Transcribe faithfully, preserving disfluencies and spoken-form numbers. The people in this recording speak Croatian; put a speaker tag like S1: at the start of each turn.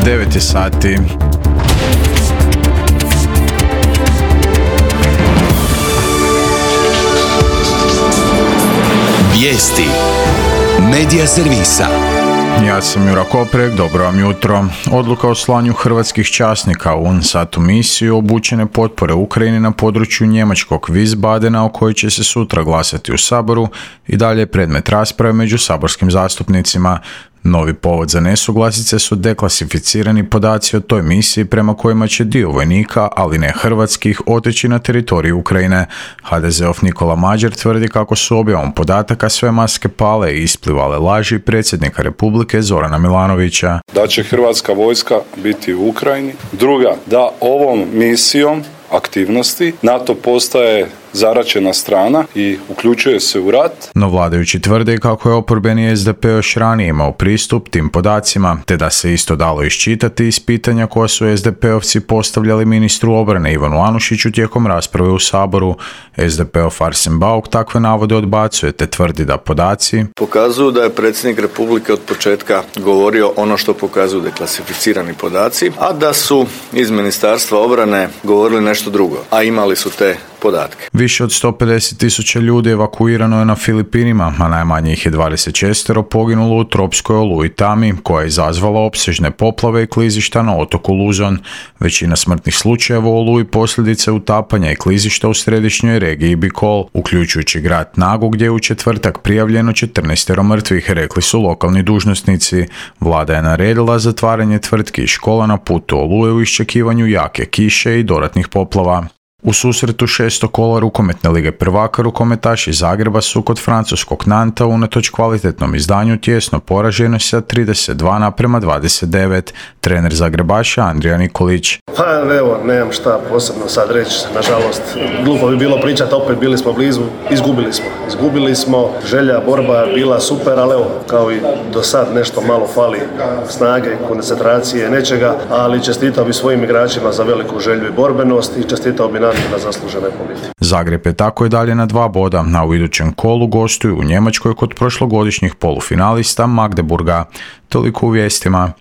S1: devet je sati.
S2: Vijesti Medija servisa.
S1: Ja sam Jura Koprek, dobro vam jutro. Odluka o slanju hrvatskih časnika u UNSAT-u misiju obučene potpore Ukrajini na području njemačkog Wiesbadena, o kojoj će se sutra glasati u Saboru, i dalje je predmet rasprave među saborskim zastupnicima. Novi povod za nesuglasice su deklasificirani podaci o toj misiji prema kojima će dio vojnika, ali ne hrvatskih, otići na teritoriju Ukrajine. ha de zeov Nikola Mađar tvrdi kako su objavom podataka sve maske pale i isplivale laži predsjednika Republike Zorana Milanovića.
S3: Da će hrvatska vojska biti u Ukrajini. Druga, da ovom misijom aktivnosti NATO postaje zaraćena strana i uključuje se u rat.
S1: No vladajući tvrde kako je oporbeni es de pe još ranije imao pristup tim podacima, te da se isto dalo iščitati iz pitanja koja su es de pe-ovci postavljali ministru obrane Ivanu Anušiću tijekom rasprave u Saboru. es de pe-ov Arsen Bauk takve navode odbacuje, te tvrdi da podaci
S4: pokazuju da je predsjednik Republike od početka govorio ono što pokazuju deklasificirani podaci, a da su iz Ministarstva obrane govorili nešto drugo, a imali su te podatke.
S1: Više od sto pedeset tisuća ljudi evakuirano je na Filipinima, a najmanje ih je dvadeset šest poginulo u tropskoj oluji Tami, koja je izazvala opsežne poplave i klizišta na otoku Luzon. Većina smrtnih slučajeva u oluji posljedice utapanja i klizišta u središnjoj regiji Bicol, uključujući grad Nagu, gdje je u četvrtak prijavljeno četrnaest mrtvih, rekli su lokalni dužnosnici. Vlada je naredila zatvaranje tvrtki i škola na putu oluje u iščekivanju jake kiše i dodatnih poplava. U susretu šesto kola rukometne lige prvaka rukometaši Zagreba su kod francuskog Nanta unatoč kvalitetnom izdanju tjesno poraženi sa trideset dva naprema dvadeset devet. Trener Zagrebaša Andrija Nikolić.
S5: Pa evo, nemam šta posebno sad reći, nažalost, glupo bi bilo pričati, opet bili smo blizu, izgubili smo. Izgubili smo, želja, borba bila super, ali evo, kao i do sad nešto malo fali snage, koncentracije, nečega, ali čestitao bi svojim igračima za veliku želju i borbenost i čestitao bi na zaslužene pobjede.
S1: Zagreb je tako i dalje na dva boda, a u idućem kolu gostuju u Njemačkoj kod prošlogodišnjih polufinalista Magdeburga. Toliko u vijestima.